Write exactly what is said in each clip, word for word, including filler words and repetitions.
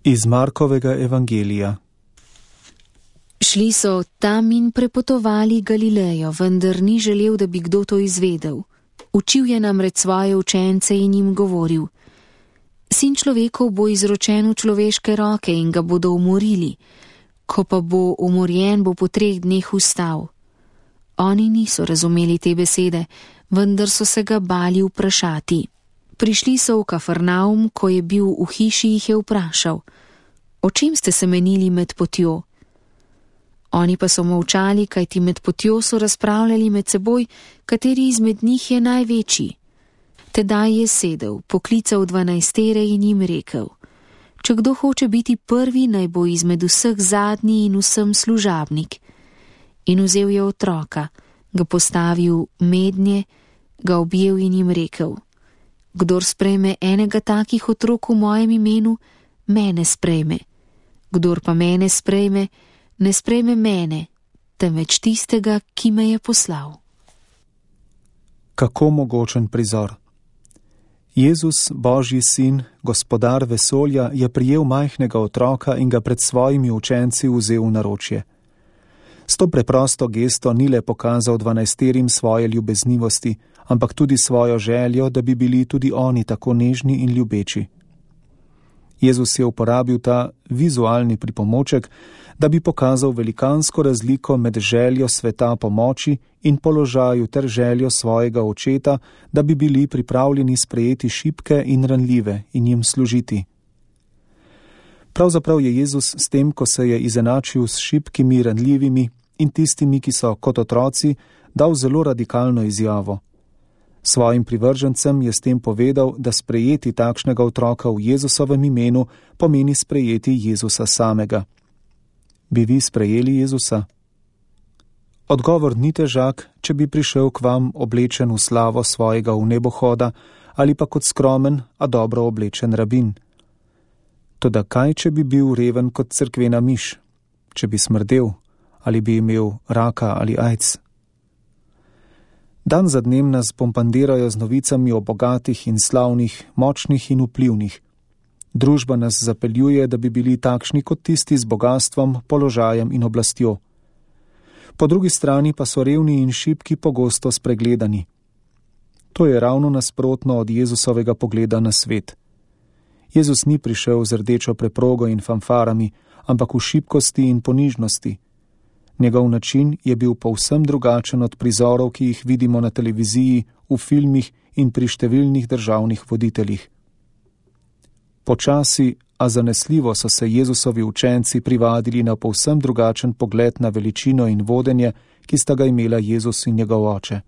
Iz Markovega evangelija. Šli so tam in prepotovali Galilejo, vendar ni želel, da bi kdo to izvedel. Učil je namreč svoje učence in jim govoril: Sin človekov bo izročen v človeške roke in ga bodo umorili. Ko pa bo umorjen, bo po treh dneh vstal. Oni niso razumeli te besede, vendar so se ga bali vprašati. Prišli so v Kafarnaum, ko je bil v hiši, jih je vprašal: O čem ste se menili med potjo? Oni pa so molčali, kajti med potjo so razpravljali med seboj, kateri izmed njih je največji. Tedaj je sedel, poklical dvanajstere in jim rekel: Če kdo hoče biti prvi, naj bo izmed vseh zadnji in vsem služabnik. In vzel je otroka, ga postavil mednje, ga objel in jim rekel: Kdor sprejme enega takih otrok v mojem imenu, mene sprejme. Kdor pa mene sprejme, ne sprejme mene, temveč tistega, ki me je poslal. Kako mogočen prizor! Jezus, Božji sin, gospodar vesolja, je prijel majhnega otroka in ga pred svojimi učenci vzel v naročje. S to preprosto gesto ni le pokazal dvanajsterim svoje ljubeznivosti, ampak tudi svojo željo, da bi bili tudi oni tako nežni in ljubeči. Jezus je uporabil ta vizualni pripomoček, da bi pokazal velikansko razliko med željo sveta pomoči in položaju ter željo svojega očeta, da bi bili pripravljeni sprejeti šibke in ranljive in jim služiti. Pravzaprav je Jezus s tem, ko se je izenačil s šibkimi, ranljivimi in tistimi, ki so kot otroci, dal zelo radikalno izjavo. Svojim privržencem je s tem povedal, da sprejeti takšnega otroka v Jezusovem imenu pomeni sprejeti Jezusa samega. Bi vi sprejeli Jezusa? Odgovor ni težak, če bi prišel k vam oblečen v slavo svojega vnebohoda ali pa kot skromen, a dobro oblečen rabin. Toda kaj, če bi bil reven kot cerkvena miš, če bi smrdel ali bi imel raka ali aids? Dan za dnem nas bombardirajo z novicami o bogatih in slavnih, močnih in vplivnih. Družba nas zapeljuje, da bi bili takšni kot tisti z bogastvom, položajem in oblastjo. Po drugi strani pa so revni in šibki pogosto spregledani. To je ravno nasprotno od Jezusovega pogleda na svet. Jezus ni prišel z rdečo preprogo in fanfarami, ampak v šibkosti in ponižnosti. Njegov način je bil povsem drugačen od prizorov, ki jih vidimo na televiziji, v filmih in pri številnih državnih voditeljih. Počasi, a zanesljivo so se Jezusovi učenci privadili na povsem drugačen pogled na veličino in vodenje, ki sta ga imela Jezus in njegov oče.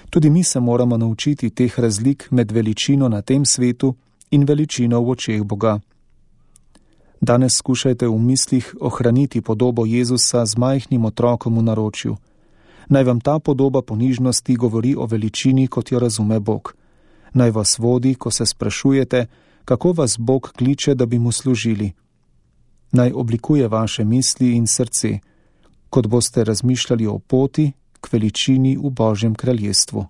Tudi mi se moramo naučiti teh razlik med veličino na tem svetu in veličino v očeh Boga. Danes skušajte v mislih ohraniti podobo Jezusa z majhnim otrokom v naročju. Naj vam ta podoba ponižnosti govori o veličini, kot jo razume Bog. Naj vas vodi, ko se sprašujete, kako vas Bog kliče, da bi mu služili. Naj oblikuje vaše misli in srce, kot boste razmišljali o poti k veličini v Božjem kraljestvu.